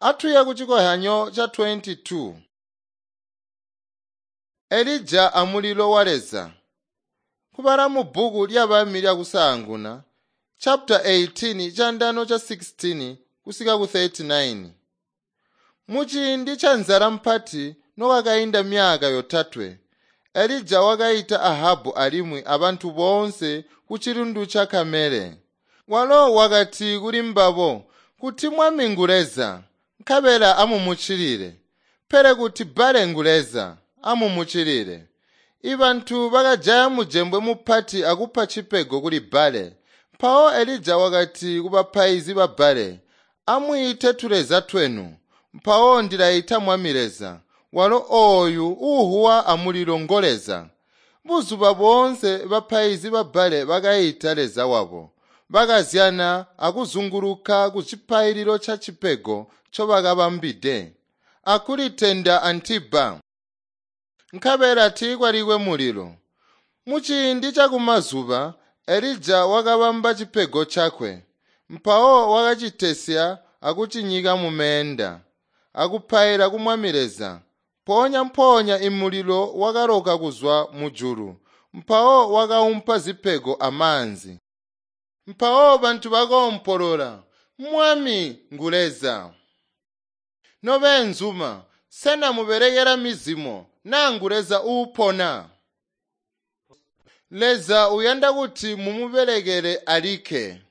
Atuye kucikozyanyo ca 22. Elija amulilo wa Leza. Kubala mubbuku lyabami lyakusaanguna, chapter 18 candano ca 16 kusika ku 39. Muciindi ca nzala mpati nokwakainda myaka yotatwe, Elija wakaita Ahabu alimwi abantu boonse ku cilundu ca Kamele. Walo wakati kuli mbabo kuti Mwami ngu Leza, nkabela amumuccilile. Pele kuti Bbaale ngu Leza, amumuccilile. Ibantu bakajaya mujembwe mupati akupa cipego kuli Bbaale. Mpawo Elija wakati kubapaizi ba Bbaale, “Amwiite tuleza twenu, mpawo ndilaita Mwami Leza, walo ooyu uuhuwa amulilo ngo Leza.” Buzuba boonse bapaizi ba Bbaale bakaita Leza wabo. Bakazyana akuzunguluka kucipaililo cacipego ncobakabambide, akulitenda antiba. Nkabela tiikwalikwe mulilo. Muciindi cakumazuba Elija wakabamba cipego cakwe. Mpawo wakacitesya akucinyika mumeenda, akupaila ku Mwami Leza. Mpoonya-mpoonya imulilo wakaloka kuzwa mujulu, mpawo wakaumpa zipego amaanzi. Mpawo bantu bakoompolola, “Mwami ngu Leza!” Nobeenzuma, sena mubelekela mizimo naa ngu Leza uupona? Leza uyanda kuti mumubelekele alikke.